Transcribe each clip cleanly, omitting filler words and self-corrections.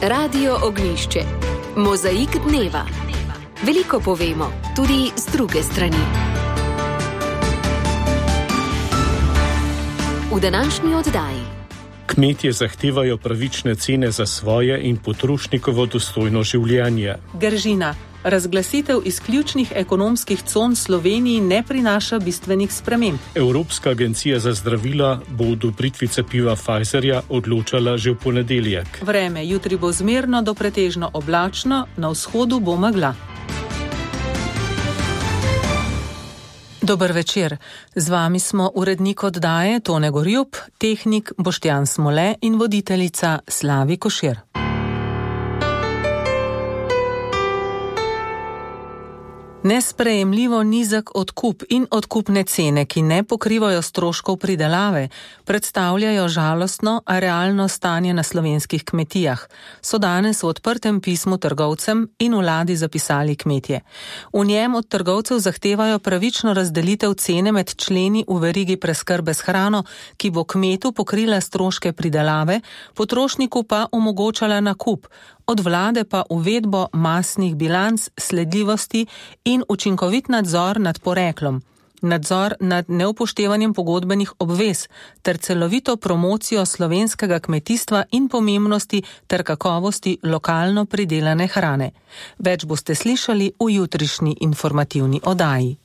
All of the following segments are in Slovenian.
Radio Ognjišče. Mozaik dneva. Veliko povemo, tudi z druge strani. V današnji oddaji. Kmetje zahtevajo pravične cene za svoje in potrošnikovo dostojno življenje. Gržina. Razglasitev izključnih ekonomskih con Sloveniji ne prinaša bistvenih sprememb. Evropska agencija za zdravila bo o odobritvi cepiva Pfizerja odločala že v ponedeljek. Vreme jutri bo zmerno do pretežno oblačno, na vzhodu bo megla. Dober večer. Z vami smo urednik oddaje Tone Gorjup, tehnik Boštjan Smole in voditeljica Slavi Košir. Nesprejemljivo nizek odkup in odkupne cene, ki ne pokrivajo stroškov pridelave, predstavljajo žalostno, a realno stanje na slovenskih kmetijah, so danes v odprtem pismu trgovcem in vladi zapisali kmetje. V njem od trgovcev zahtevajo pravično razdelitev cene med členi v verigi preskrbe s hrano, ki bo kmetu pokrila stroške pridelave, potrošniku pa omogočala nakup, od vlade pa uvedbo masnih bilanc, sledljivosti in učinkovit nadzor nad poreklom, nadzor nad neupoštevanjem pogodbenih obvez ter celovito promocijo slovenskega kmetijstva in pomembnosti ter kakovosti lokalno pridelane hrane. Več boste slišali v jutrišnji informativni oddaji.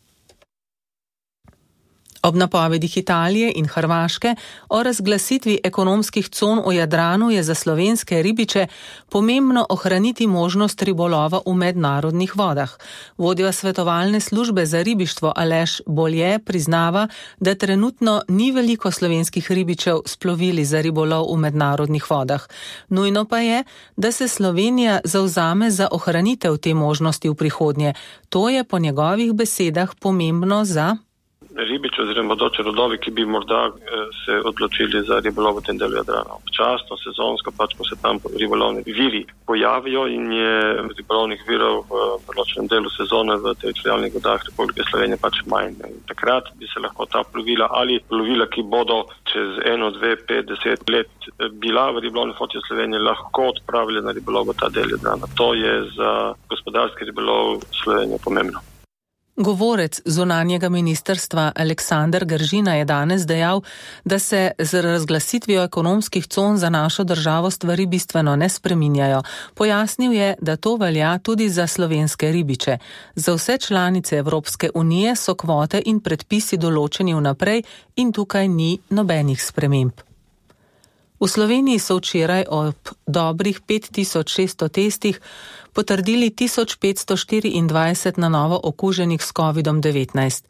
Ob napovedih Italije in Hrvaške o razglasitvi ekonomskih con v Jadranu je za slovenske ribiče pomembno ohraniti možnost ribolova v mednarodnih vodah. Vodja svetovalne službe za ribištvo Aleš Bolje priznava, da trenutno ni veliko slovenskih ribičev s plovili za ribolov v mednarodnih vodah. Nujno pa je, da se Slovenija zavzame za ohranitev te možnosti v prihodnje. To je po njegovih besedah pomembno za ribiči oziroma bodoči rodovi, ki bi morda se odločili za ribolov v tem delu Jadrana. Občasno, sezonsko, ko se tam ribolovni viri pojavijo in je ribolovnih virov v določenem delu sezone v teritorialnih vodah Republike Slovenije manj. Takrat bi se lahko ta plovila ali plovila, ki bodo čez 1, 2, 5, 10 let bila v ribolovni floti Slovenije, lahko odpravili na ribolov v ta del Jadrana. To je za gospodarski ribolov Slovenije pomembno. Govorec zunanjega ministrstva Aleksander Gržina je danes dejal, da se z razglasitvijo ekonomskih con za našo državo stvari bistveno ne spreminjajo. Pojasnil je, da to velja tudi za slovenske ribiče. Za vse članice Evropske unije so kvote in predpisi določeni vnaprej in tukaj ni nobenih sprememb. V Sloveniji so včeraj ob dobrih 5600 testih potrdili 1524 na novo okuženih s COVID-19.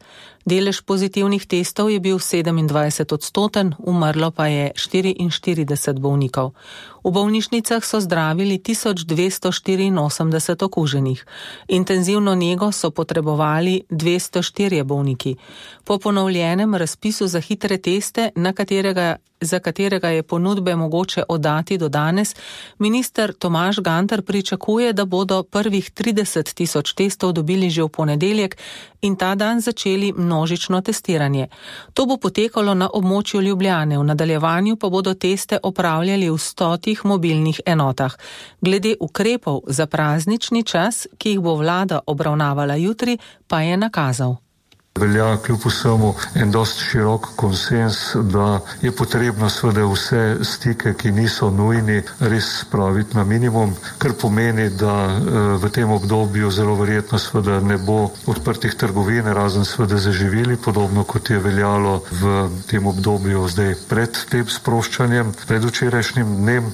Delež pozitivnih testov je bil 27%, umrlo pa je 44 bolnikov. V bolnišnicah so zdravili 1284 okuženih. Intenzivno nego so potrebovali 204 bolniki. Po ponovljenem razpisu za hitre teste, za katerega je ponudbe mogoče oddati do danes, minister Tomaž Gantar pričakuje, da bodo prvih 30 000 testov dobili že v ponedeljek in ta dan začeli množično testiranje. To bo potekalo na območju Ljubljane, v nadaljevanju pa bodo teste opravljali v 100 mobilnih enotah. Glede ukrepov za praznični čas, ki jih bo vlada obravnavala jutri, pa je nakazal. Velja kljub vsemu en dosti širok konsens, da je potrebno seveda vse stike, ki niso nujni, res spraviti na minimum, kar pomeni, da v tem obdobju zelo verjetno seveda ne bo odprtih trgovin, razen seveda za živili, podobno kot je veljalo v tem obdobju zdaj pred tem sproščanjem, pred včerajšnjim dnem.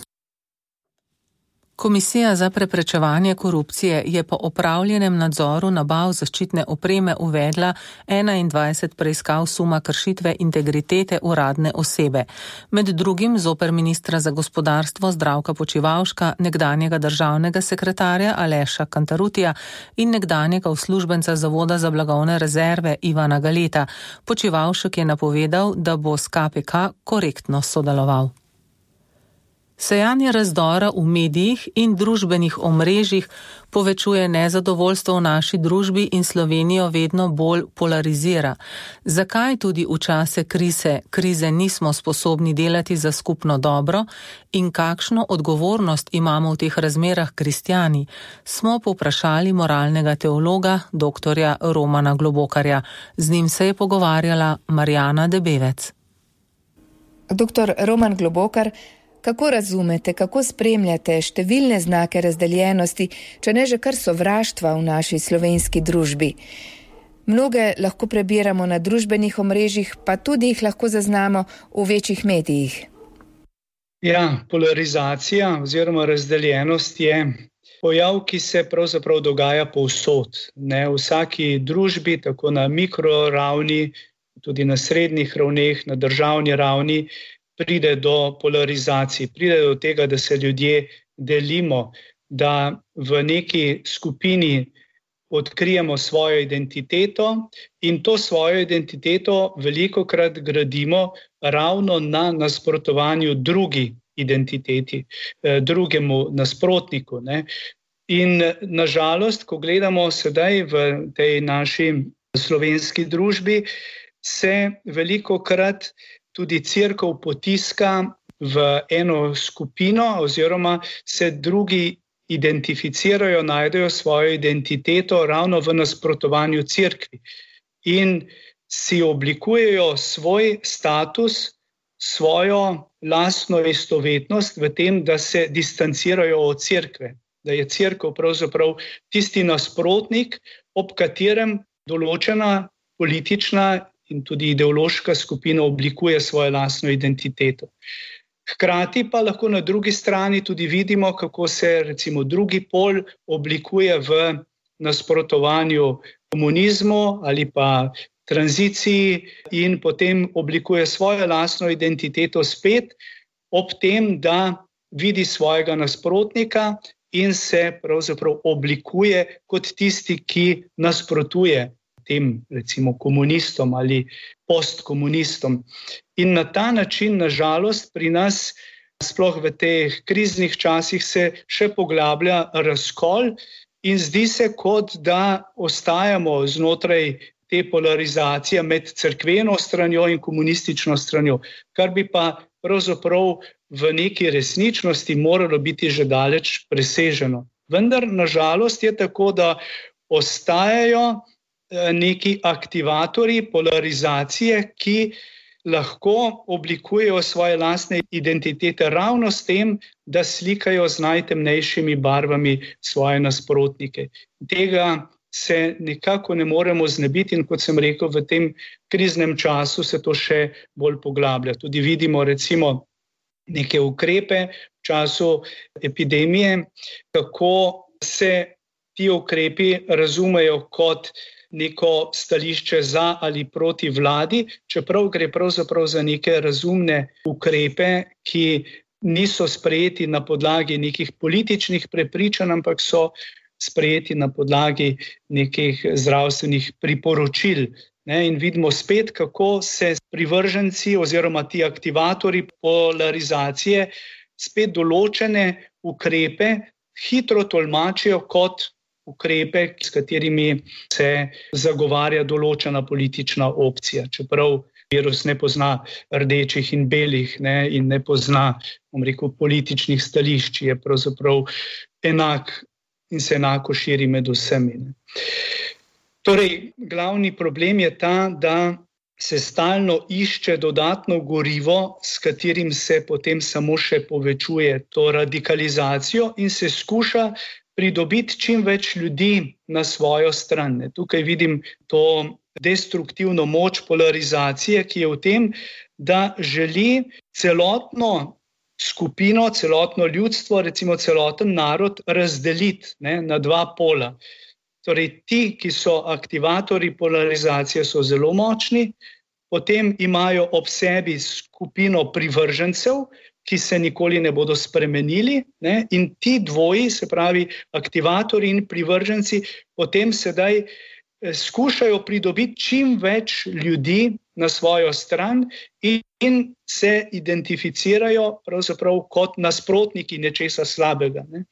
Komisija za preprečevanje korupcije je po opravljenem nadzoru nabav zaščitne opreme uvedla 21 preiskav suma kršitve integritete uradne osebe. Med drugim zoper ministra za gospodarstvo Zdravka Počivalška, nekdanjega državnega sekretarja Aleša Cantarutija in nekdanjega uslužbenca Zavoda za blagovne rezerve Ivana Galeta. Počivalšek je napovedal, da bo s KPK korektno sodeloval. Sejanje razdora v medijih in družbenih omrežjih povečuje nezadovoljstvo v naši družbi in Slovenijo vedno bolj polarizira. Zakaj tudi v čase krize nismo sposobni delati za skupno dobro in kakšno odgovornost imamo v teh razmerah kristjani, smo povprašali moralnega teologa dr. Romana Globokarja. Z njim se je pogovarjala Marjana Debevec. Dr. Roman Globokar, kako razumete, kako spremljate številne znake razdeljenosti, če ne že kar sovraštva v naši slovenski družbi? Mnoge lahko prebiramo na družbenih omrežjih, pa tudi jih lahko zaznamo v večjih medijih. Ja, polarizacija oziroma razdeljenost je pojav, ki se pravzaprav dogaja povsod. Ne, v vsaki družbi, tako na mikroravni, tudi na srednjih ravneh, na državni ravni, pride do polarizacij, pride do tega, da se ljudje delimo, da v neki skupini odkrijemo svojo identiteto in to svojo identiteto velikokrat gradimo ravno na nasprotovanju drugi identiteti, drugemu nasprotniku. Ne. In nažalost, ko gledamo sedaj v tej naši slovenski družbi, se velikokrat tudi cerkev potiska v eno skupino oziroma se drugi identificirajo, najdejo svojo identiteto ravno v nasprotovanju cerkvi in si oblikujejo svoj status, svojo lastno istovetnost v tem, da se distancirajo od cerkve, da je cerkev pravzaprav tisti nasprotnik, ob katerem določena politična in tudi ideološka skupina oblikuje svojo lastno identiteto. Hkrati pa lahko na drugi strani tudi vidimo, kako se recimo drugi pol oblikuje v nasprotovanju komunizmu ali pa tranziciji in potem oblikuje svojo lastno identiteto spet ob tem, da vidi svojega nasprotnika in se pravzaprav oblikuje kot tisti, ki nasprotuje tem recimo komunistom ali postkomunistom. In na ta način, nažalost, pri nas, sploh v teh kriznih časih, se še poglablja razkol in zdi se, kot da ostajamo znotraj te polarizacije med cerkveno stranjo in komunistično stranjo, kar bi pa pravzaprav v neki resničnosti moralo biti že daleč preseženo. Vendar, nažalost, je tako, da ostajajo neki aktivatorji polarizacije, ki lahko oblikujejo svoje lastne identitete ravno s tem, da slikajo z najtemnejšimi barvami svoje nasprotnike. Tega se nekako ne moremo znebiti in kot sem rekel, v tem kriznem času se to še bolj poglablja. Tudi vidimo recimo neke ukrepe v času epidemije, kako se ti ukrepi razumejo kot neko stališče za ali proti vladi, čeprav gre pravzaprav za neke razumne ukrepe, ki niso sprejeti na podlagi nekih političnih prepričanj, ampak so sprejeti na podlagi nekih zdravstvenih priporočil. In vidimo spet, kako se privrženci oziroma ti aktivatorji polarizacije spet določene ukrepe hitro tolmačijo kot ukrepe, s katerimi se zagovarja določena politična opcija. Čeprav virus ne pozna rdečih in belih in ne pozna, političnih stališč, je pravzaprav enak in se enako širi med vsemi. Torej, glavni problem je ta, da se stalno išče dodatno gorivo, s katerim se potem samo še povečuje to radikalizacijo in se skuša pridobiti čim več ljudi na svojo stran. Tukaj vidim to destruktivno moč polarizacije, ki je v tem, da želi celotno skupino, celotno ljudstvo, recimo celoten narod razdeliti na dva pola. Torej, ti, ki so aktivatorji polarizacije, so zelo močni, potem imajo ob sebi skupino privržencev, ki se nikoli ne bodo spremenili, in ti dvoji, se pravi aktivatorji in privrženci, potem sedaj skušajo pridobiti čim več ljudi na svojo stran in se identificirajo pravzaprav kot nasprotniki nečesa slabega. Ne.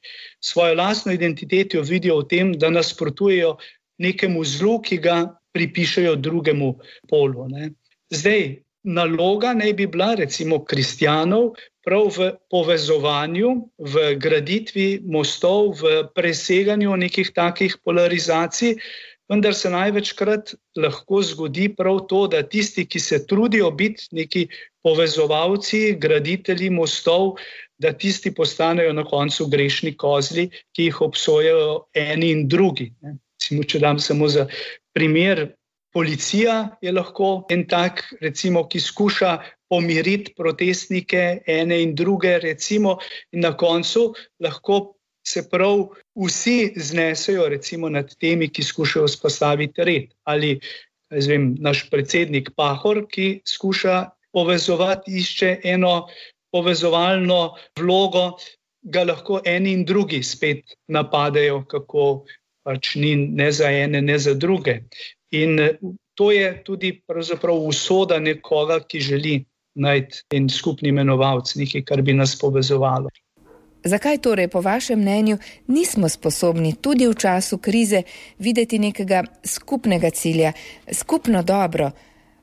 Svojo lastno identiteto vidijo v tem, da nasprotujejo nekemu zlu, ki ga pripišejo drugemu polu. Ne. Zdaj, naloga naj bi bila recimo kristjanov prav v povezovanju, v graditvi mostov, v preseganju nekih takih polarizacij, vendar se največkrat lahko zgodi prav to, da tisti, ki se trudijo biti neki povezovalci, graditelji mostov, da tisti postanejo na koncu grešni kozli, ki jih obsojajo eni in drugi. Recimo, če dam samo za primer, policija je lahko en tak, recimo, ki skuša pomiriti protestnike ene in druge, recimo, in na koncu lahko se prav vsi znesejo recimo nad temi, ki skušajo vzpostaviti red. Ali naš predsednik Pahor, ki skuša povezovati, išče eno povezovalno vlogo, ga lahko eni in drugi spet napadejo, kako pač ni ne za ene, ne za druge. In to je tudi pravzaprav usoda nekoga, ki želi najti en skupni imenovalec, nekaj, kar bi nas povezovalo. Zakaj torej, po vašem mnenju, nismo sposobni tudi v času krize videti nekega skupnega cilja, skupno dobro?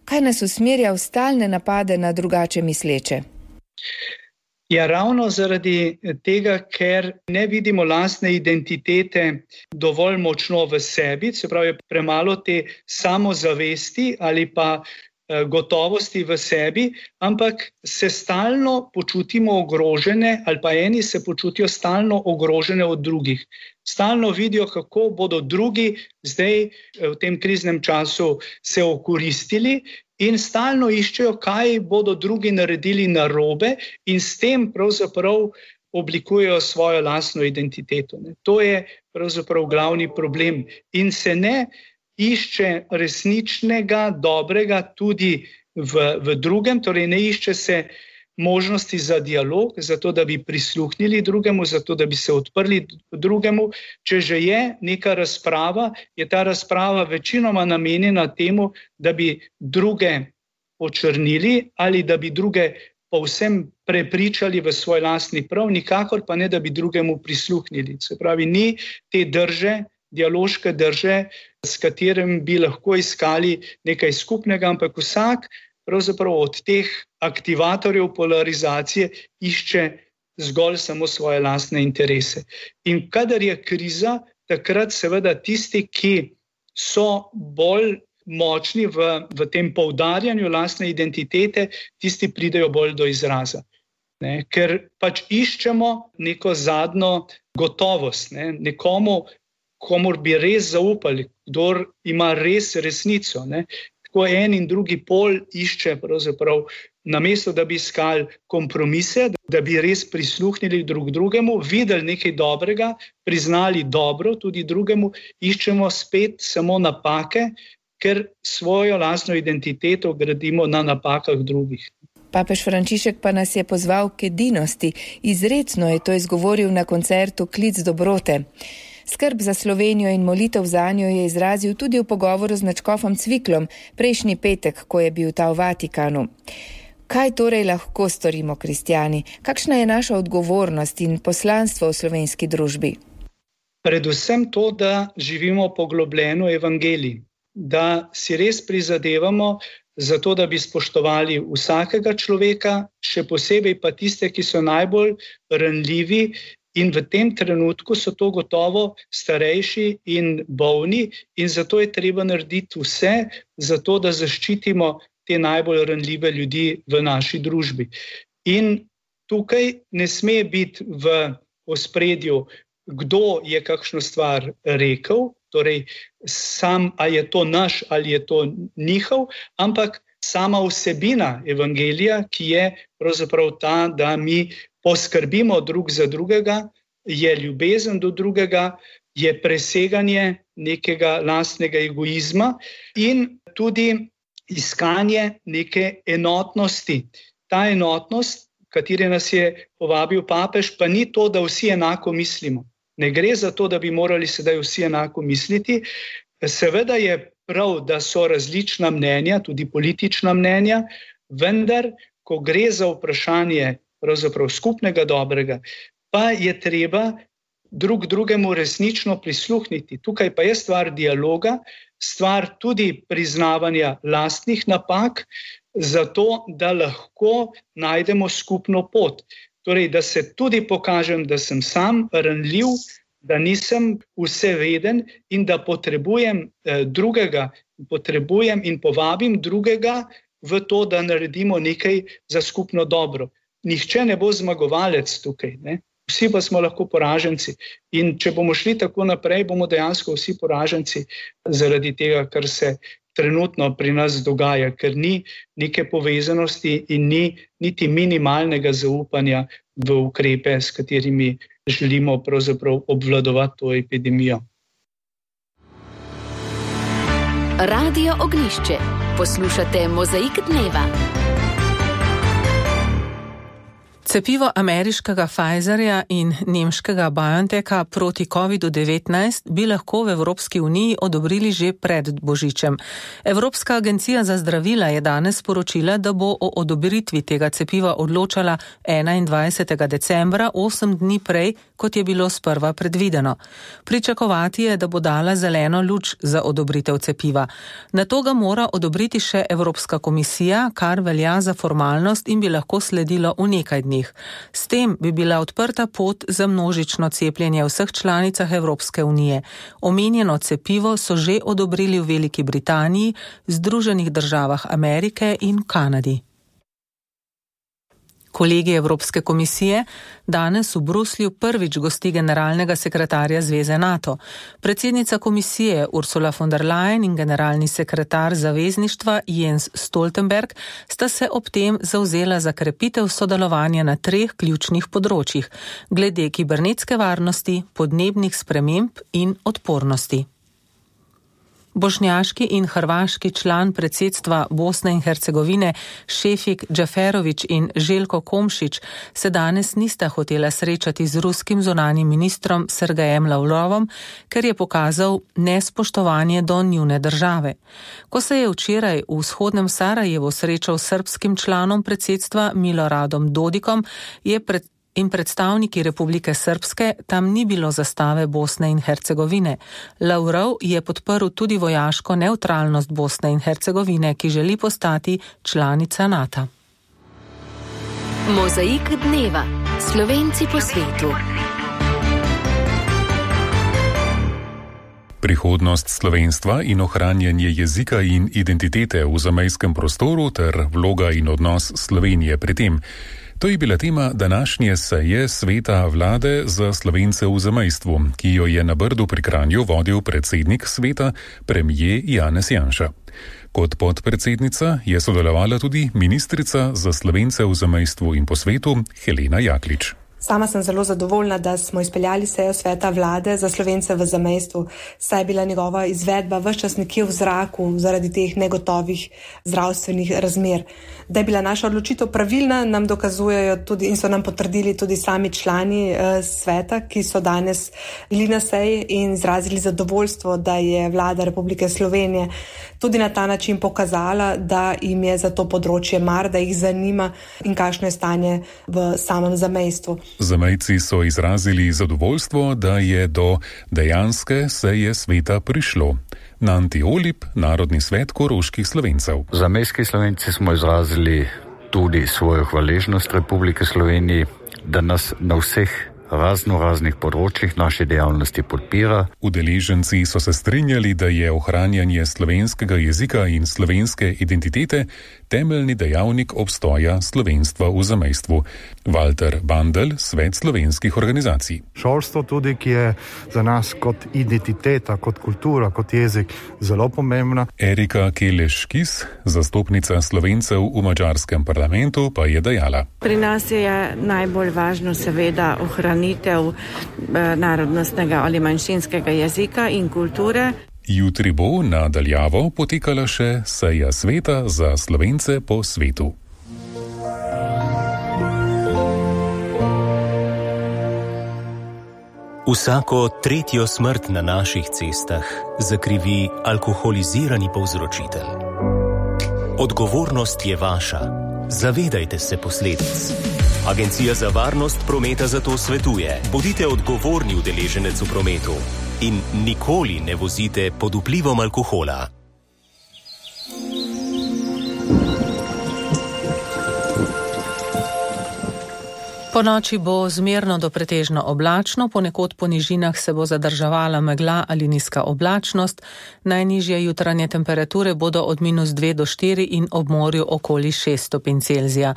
Kaj nas usmerja v stalne napade na drugače misleče? Ja, ravno zaradi tega, ker ne vidimo lastne identitete dovolj močno v sebi, se pravi premalo te samozavesti ali pa gotovosti v sebi, ampak se stalno počutimo ogrožene ali pa eni se počutijo stalno ogrožene od drugih. Stalno vidijo, kako bodo drugi zdaj v tem kriznem času se okoristili in stalno iščejo, kaj bodo drugi naredili narobe in s tem pravzaprav oblikujejo svojo lastno identiteto. To je pravzaprav glavni problem in se ne išče resničnega, dobrega tudi v drugem, torej ne išče se možnosti za dialog, zato da bi prisluhnili drugemu, zato da bi se odprli drugemu. Če že je neka razprava, je ta razprava večinoma namenjena temu, da bi druge očrnili ali da bi druge povsem prepričali v svoj lastni prav, nikakor pa ne, da bi drugemu prisluhnili. Se pravi, ni te drže, dialoške drže, s katerim bi lahko iskali nekaj skupnega, ampak vsak pravzaprav od teh aktivatorjev polarizacije išče zgolj samo svoje lastne interese. In kadar je kriza, takrat seveda tisti, ki so bolj močni v tem poudarjanju lastne identitete, tisti pridejo bolj do izraza. Ker pač iščemo neko zadnjo gotovost, nekomu, komur bi res zaupali, kdor ima res resnico. Tako en in drugi pol išče pravzaprav, namesto da bi iskali kompromise, da bi res prisluhnili drug drugemu, videli nekaj dobrega, priznali dobro tudi drugemu, iščemo spet samo napake, ker svojo lastno identiteto gradimo na napakah drugih. Papež Frančišek pa nas je pozval k edinosti. Izrecno je to izgovoril na koncertu Klic dobrote. Skrb za Slovenijo in molitev zanjo je izrazil tudi v pogovoru z nadškofom Cviklom prejšnji petek, ko je bil ta v Vatikanu. Kaj torej lahko storimo kristjani? Kakšna je naša odgovornost in poslanstvo v slovenski družbi? Predvsem to, da živimo poglobljeno evangelij, da si res prizadevamo za to, da bi spoštovali vsakega človeka, še posebej pa tiste, ki so najbolj ranljivi. In v tem trenutku so to gotovo starejši in bolni in zato je treba narediti vse, zato da zaščitimo te najbolj ranljive ljudi v naši družbi. In tukaj ne sme biti v ospredju, kdo je kakšno stvar rekel, torej sam, ali je to naš ali je to njihov, ampak sama vsebina evangelija, ki je pravzaprav ta, da mi poskrbimo drug za drugega, je ljubezen do drugega, je preseganje nekega lastnega egoizma in tudi iskanje neke enotnosti. Ta enotnost, kateri nas je povabil papež, pa ni to, da vsi enako mislimo. Ne gre za to, da bi morali sedaj vsi enako misliti, Seveda je prav, da so različna mnenja, tudi politična mnenja, vendar, ko gre za vprašanje pravzaprav skupnega dobrega, pa je treba drug drugemu resnično prisluhniti. Tukaj pa je stvar dialoga, stvar tudi priznavanja lastnih napak, zato da lahko najdemo skupno pot. Torej, da se tudi pokažem, da sem sam ranljiv, da nisem vseveden in da potrebujem drugega, potrebujem in povabim drugega v to, da naredimo nekaj za skupno dobro. Nihče ne bo zmagovalec tukaj, ne? Vsi pa smo lahko poraženci. In če bomo šli tako naprej, bomo dejansko vsi poraženci zaradi tega, kar se trenutno pri nas dogaja, ker ni neke povezanosti in ni niti minimalnega zaupanja v ukrepe, s katerimi želimo pravzaprav obvladovati to epidemijo. Radio Ognjišče. Poslušate Mozaik dneva. Cepivo ameriškega Pfizerja in nemškega BioNTecha proti COVID-19 bi lahko v Evropski uniji odobrili že pred Božičem. Evropska agencija za zdravila je danes sporočila, da bo o odobritvi tega cepiva odločala 21. decembra, 8 dni prej, kot je bilo sprva predvideno. Pričakovati je, da bo dala zeleno luč za odobritev cepiva. Nato ga mora odobriti še Evropska komisija, kar velja za formalnost in bi lahko sledilo v nekaj dni. S tem bi bila odprta pot za množično cepljenje v vseh članicah Evropske unije. Omenjeno cepivo so že odobrili v Veliki Britaniji, Združenih državah Amerike in Kanadi. Kolegi Evropske komisije danes v Bruslju prvič gosti generalnega sekretarja Zveze NATO. Predsednica komisije Ursula von der Leyen in generalni sekretar zavezništva Jens Stoltenberg sta se ob tem zavzela za krepitev sodelovanja na 3 ključnih področjih: glede kibernetske varnosti, podnebnih sprememb in odpornosti. Bošnjaški in hrvaški član predsedstva Bosne in Hercegovine Šefik Džaferović in Željko Komšić se danes nista hotela srečati z ruskim zunanjim ministrom Sergejem Lavrovom, ker je pokazal nespoštovanje do njune države. Ko se je včeraj v vzhodnem Sarajevu srečal s srbskim članom predsedstva Miloradom Dodikom, in predstavniki Republike Srpske, tam ni bilo zastave Bosne in Hercegovine. Lavrov je podprl tudi vojaško nevtralnost Bosne in Hercegovine, ki želi postati članica NATO. Mozaik dneva. Slovenci po svetu. Prihodnost slovenstva in ohranjanje jezika in identitete v zamejskem prostoru ter vloga in odnos Slovenije pri tem. To je bila tema današnje seje Sveta vlade za Slovence v zamejstvu, ki jo je na Brdu pri Kranju vodil predsednik sveta, premier Janez Janša. Kot podpredsednica je sodelovala tudi ministrica za Slovence v zamejstvu in po svetu Helena Jaklič. Sama sem zelo zadovoljna, da smo izpeljali sejo Sveta vlade za Slovence v zamejstvu, saj je bila njegova izvedba ves čas nekje v zraku zaradi teh negotovih zdravstvenih razmer. Da je bila naša odločitev pravilna, nam dokazujejo tudi in so nam potrdili tudi sami člani sveta, ki so danes bili na seji in izrazili zadovoljstvo, da je vlada Republike Slovenije tudi na ta način pokazala, da jim je za to področje mar, da jih zanima in kakšno je stanje v samem zamejstvu. Zamejci so izrazili zadovoljstvo, da je do dejanske seje sveta prišlo. Nanti Olip, Narodni svet koroških Slovencev. Zamejski Slovenci smo izrazili tudi svojo hvaležnost Republike Sloveniji, da nas na vseh raznih področjih naše dejavnosti podpira. Udeleženci so se strinjali, da je ohranjanje slovenskega jezika in slovenske identitete temeljni dejavnik obstoja slovenstva v zamejstvu. Walter Bandel, Svet slovenskih organizacij. Šolstvo tudi, ki je za nas kot identiteta, kot kultura, kot jezik zelo pomembna. Erika Keleš-Kis, zastopnica Slovencev v madžarskem parlamentu, pa je dejala. Pri nas je najbolj važno seveda ohranitev narodnostnega ali manjšinskega jezika in kulture. Jutri bo nadaljavo potekala še seja sveta za Slovence po svetu. Vsako tretjo smrt na naših cestah zakrivi alkoholizirani povzročitelj. Odgovornost je vaša. Zavedajte se posledic. Agencija za varnost prometa zato svetuje: bodite odgovorni udeleženec v prometu in nikoli ne vozite pod vplivom alkohola. Po noči bo zmerno do pretežno oblačno, ponekod po nižinah se bo zadrževala megla ali nizka oblačnost, najnižje jutranje temperature bodo od -2 do 4 in ob morju okoli 6 stopinj Celzija.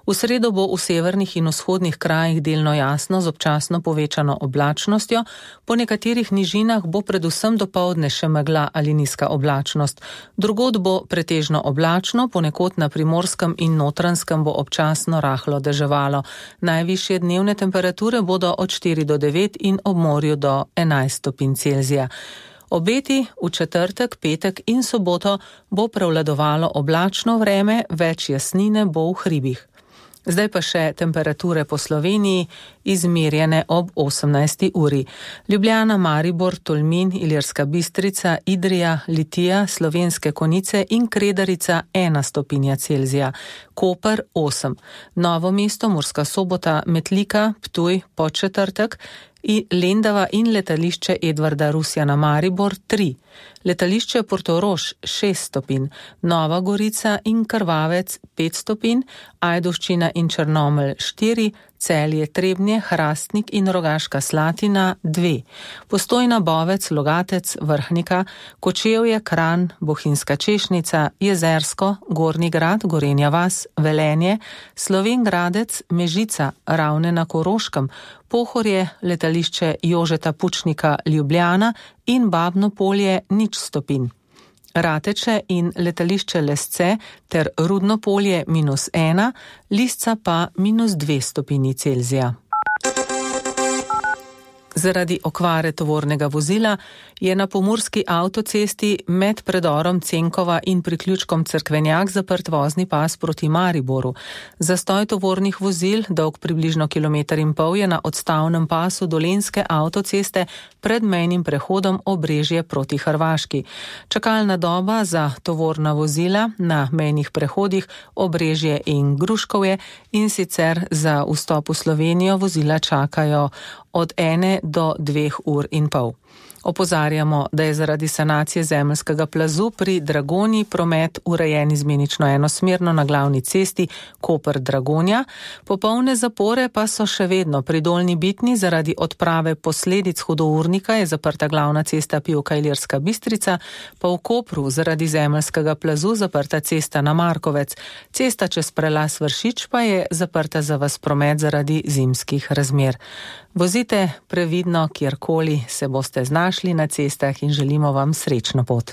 V sredo bo v severnih in vzhodnih krajih delno jasno z občasno povečano oblačnostjo, po nekaterih nižinah bo predvsem dopoldne še megla ali nizka oblačnost. Drugod bo pretežno oblačno, ponekod na Primorskem in Notranjskem bo občasno rahlo deževalo. Najvišje dnevne temperature bodo od 4 do 9 in ob morju do 11 stopinj Celzija. Obeti v četrtek, petek in soboto bo prevladovalo oblačno vreme, več jasnine bo v hribih. Zdaj pa še temperature po Sloveniji, izmerjene ob 18. uri. Ljubljana, Maribor, Tolmin, Ilirska Bistrica, Idrija, Litija, Slovenske Konjice in Kredarica 1 stopinja Celzija. Koper 8. Novo mesto, Murska Sobota, Metlika, Ptuj, Podčetrtek, Lendava in letališče Edvarda Rusjana Maribor 3. Letališče Portorož 6 stopinj, Nova Gorica in Krvavec 5 stopinj, Ajdovščina in Črnomelj 4, Celje, Trebnje, Hrastnik in Rogaška Slatina 2. Postojna, Bovec, Logatec, Vrhnika, Kočevje, Kranj, Bohinjska Češnica, Jezersko, Gornji Grad, Gorenja vas, Velenje, Slovenj Gradec, Mežica, Ravne na Koroškem, Pohorje, letališče Jožeta Pučnika Ljubljana in Babno Polje 0 stopinj. Rateče in letališče Lesce ter Rudno Polje -1, Lisca pa -2 stopinji Celzija. Zaradi okvare tovornega vozila je na pomurski avtocesti med predorom Cenkova in priključkom Cerkvenjak zaprt vozni pas proti Mariboru. Zastoj tovornih vozil, dolg približno 1,5 km, je na odstavnem pasu Dolenjske avtoceste pred mejnim prehodom Obrežje proti Hrvaški. Čakalna doba za tovorna vozila na mejnih prehodih Obrežje in Gruškovje, in sicer za vstop v Slovenijo vozila čakajo od 1 do 2 ur in pol. Opozarjamo, da je zaradi sanacije zemeljskega plazu pri Dragonji promet urejen izmenično enosmerno na glavni cesti Koper-Dragonja. Popolne zapore pa so še vedno pri Dolnji Bitni. Zaradi odprave posledic hudournika je zaprta glavna cesta Pivka-Ilirska Bistrica, pa v Kopru zaradi zemeljskega plazu zaprta cesta na Markovec. Cesta čez prelaz Vršič pa je zaprta za vas promet zaradi zimskih razmer. Vozite previdno, kjerkoli se boste znašli na cestah, in želimo vam srečno pot.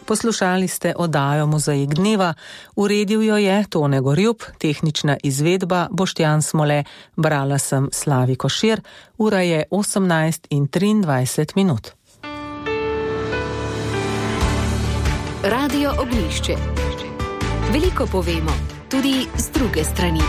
Poslušali ste oddajo Mozaik dneva, uredil jo je Tone Gorjup, tehnična izvedba Boštjan Smole, brala sem Slavi Košir, ura je 18:23. Radio Oglišče. Veliko povemo, tudi z druge strani.